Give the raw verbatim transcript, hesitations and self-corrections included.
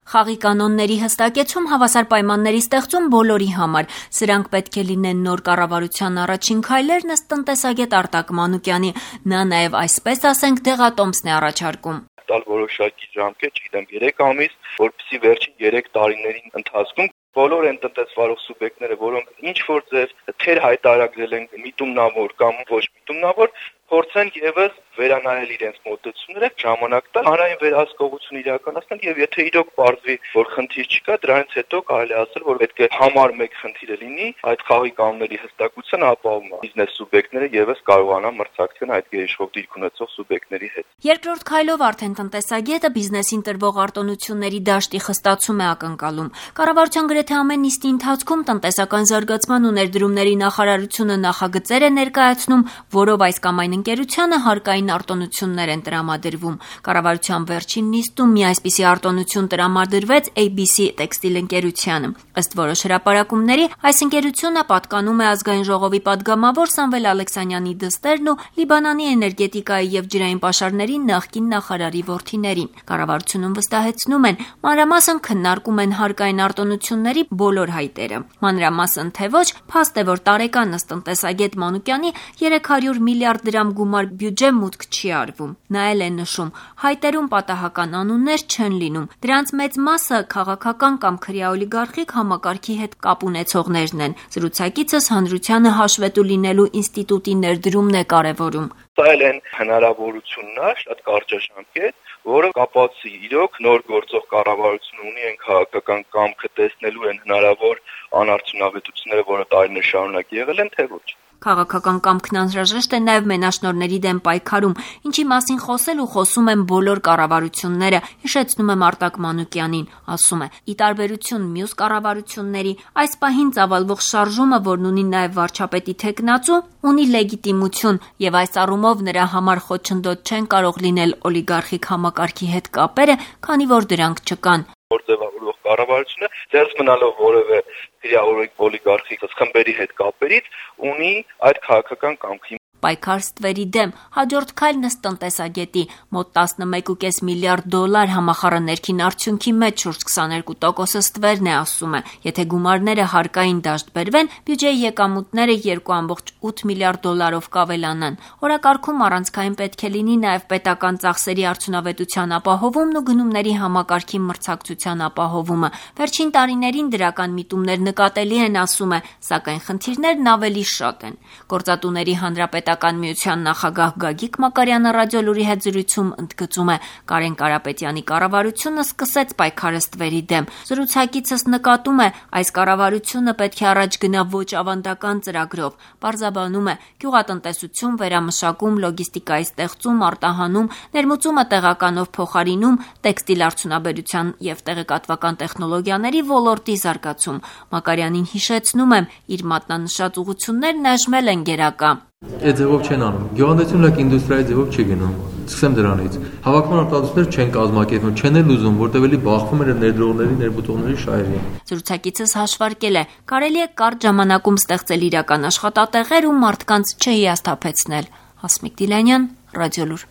Խաղի կանոնների հստակեցում, հավասար պայմանների ստեղծում բոլորի համար։ Սրանք պետք է լինեն նոր կառավարության առաջին քայլերն ըստ տնտեսագետ Արտակ Մանուկյանի։ Նա նաև այսպես ասենք դեղատոմսն է առաջարկում։ Տալ որոշակի ժամկետ, չգիտեմ, երեք ամիս, որպեսզի վերջին երեք տարիների ընթացքում բոլոր այն տնտեսվարող սուբյեկտները, որոնք ինչ որ ձև թեր հայտարարել են միտումնավոր կամ ոչ միտումնավոր, փորձեն եւս վերանայել իրենց մոտեցումները, ժամանակ տալ, հանրային վերահսկողություն իրականացնել եւ եթե իրոք պարզվի, որ խնդիր չկա, դրանից հետո կարելի է ասել, որ պետք է համար մեկ խնդիրը լինի, այդ խաղի կանոնների հստակության ապահովումը։ Բիզնես սուբյեկտները եւս կարողանան մրցակցել այդ գերիշխող դիրք ունեցող սուբյեկտների հետ։ Երկրորդ քայլով արդեն տնտեսագետը բիզնեսին տրվող արտոնությունների դաշտի խստացում է ակնկալում։ Կառավարության գրեթե ամեն նիստի ընթացքում տնտեսական զարգացման ու ներդրումների նախարարությունը նախագծեր է ներկայացնում, որով այս կամ այն ընկերությանը հարկային արտոնություններ են տրամադրվում։ Կառավարության վերջին նիստում մի այսպիսի արտոնություն տրամադրվեց A B C տեքստիլ ընկերությանը։ Ըստ որոշ հրապարակումների, այս ընկերությունը պատկանում է ազգային ժողովի падգամավոր Սամվել Ալեքսանյանի դստերն ու Լիբանանի էներգետիկայի եւ ջրային պաշարների նախկին նախարարի որդիներին։ Կառավարությունում վստահեցնում են, մանրամասն քննարկում են հարկային արտոնությունների բոլոր հայտերը։ Մանրամասն թե ոչ, փաստ է, որ տարեկան ըստ տնտեսագետ Մանուկյանի երեք հարյուր միլիարդ դրամ գումար բյուջե մուտք չի արվում։ Նա էլ է նշում, հայտերում պատահական անուններ չեն լինում։ Դրանց մեծ մասը քաղաքական կամ քրյա օլիգարխիկ համակարգի հետ կապ ունեցողներն են։ Զրուցակիցս հանրությանը հաշվետու լինելու ինստիտուտի ներդրումն է կարևորում։ Սա էլ են հնարավորությունն է, շատ կարճաժամկետ, որը կապված է իրոք նոր գործող կառավարություն ունի այն քաղաքական կամքը տեսնելու են հնարավոր անարդյունավետությունները, որը տարիներ շարունակ եղել են, թե ոչ։ Քաղաքական կամքն անհրաժեշտ է նաև մենաշնորհների դեմ պայքարում, ինչի մասին խոսել ու խոսում են բոլոր կառավարությունները, հիշեցնում եմ Արտակ Մանուկյանին, ասում է. ի տարբերություն մյուս կառավարությունների, այս պահին ծավալվող շարժումը, որն ունի նաև վարչապետի թեկնածու, ունի լեգիտիմություն եւ այս առումով նրա համար խոչընդոտ չեն կարող լինել օլիգարխիկ համակարգի հետ կապերը, քանի որ դրանք չկան։ Գործևավորող կառավարությունը դեռ մնալով որևէ քրեա օլիգարխիկ խմբերի հետ կապերից ունի այդ քաղաքական կամքի պայքար ստվերի դեմ հաջորդ քայլն ըստ տնտեսագետի մոտ տասնմեկ կόμμα պենս միլիարդ դոլար համախառն ներքին արդյունքի մեջ շուրջ քսաներկու տոկոսը ստվերն է, ասում է։ Եթե գումարները հարկային դաշտ բերվեն, բյուջեի եկամուտները երկու կόμma ութ միլիարդ դոլարով կավելանան։ Օրակարգում առանցքային պետք է լինի նաև պետական ծախսերի արդյունավետության ապահովումն ու գնումների համակարգի մրցակցության ապահովումը։ Վերջին տարիներին դրական միտումներ նկատելի են, ասում է, սակայն խնդիրներն ավելի շատ են։ Գործատուների հանրապետական միության նախագահ Գագիկ Մակարյանը ռադիոլուրի հետ զրույցում ընդգծում է, Կարեն Կարապետյանի կառավարությունը սկսեց պայքարը ստվերի դեմ։ Զրուցակիցս նկատում է, այս կառավարությունը պետք է առաջ գնա ոչ ավանդական ծրագրով։ Պարզաբանում է, գյուղատնտեսություն, վերամշակում, լոգիստիկայի ստեղծում, արտահանում, ներմուծումը տեղականով փոխարինում, տեքստիլ արդյունաբերության եւ տեղեկատվական տեխնոլոգիաների ոլորտի զարգացում։ Մակարյանին հիշեցնում եմ, իր մատնանշած ուղղություններն այժմել են գերակա։ Այդ ձևով չեն անում։ Գյուղատնտեսությունը ինդուստրիայի ձևով չի գնում։ Սկսեմ դրանից։ Հավաքման արտադրություններ չեն կազմակերպվում, չեն էլ ուզում, որտեղ էլի բախվում են ներդրողների, ներմուծողների շահերին։ Զրուցակիցս հաշվարկել է, կարելի է կարճ ժամանակում ստեղծել իրական աշխատատեղեր ու մարդկանց չհիասթափեցնել։ Հասմիկ Դիլանյան, Ռադիոլուր։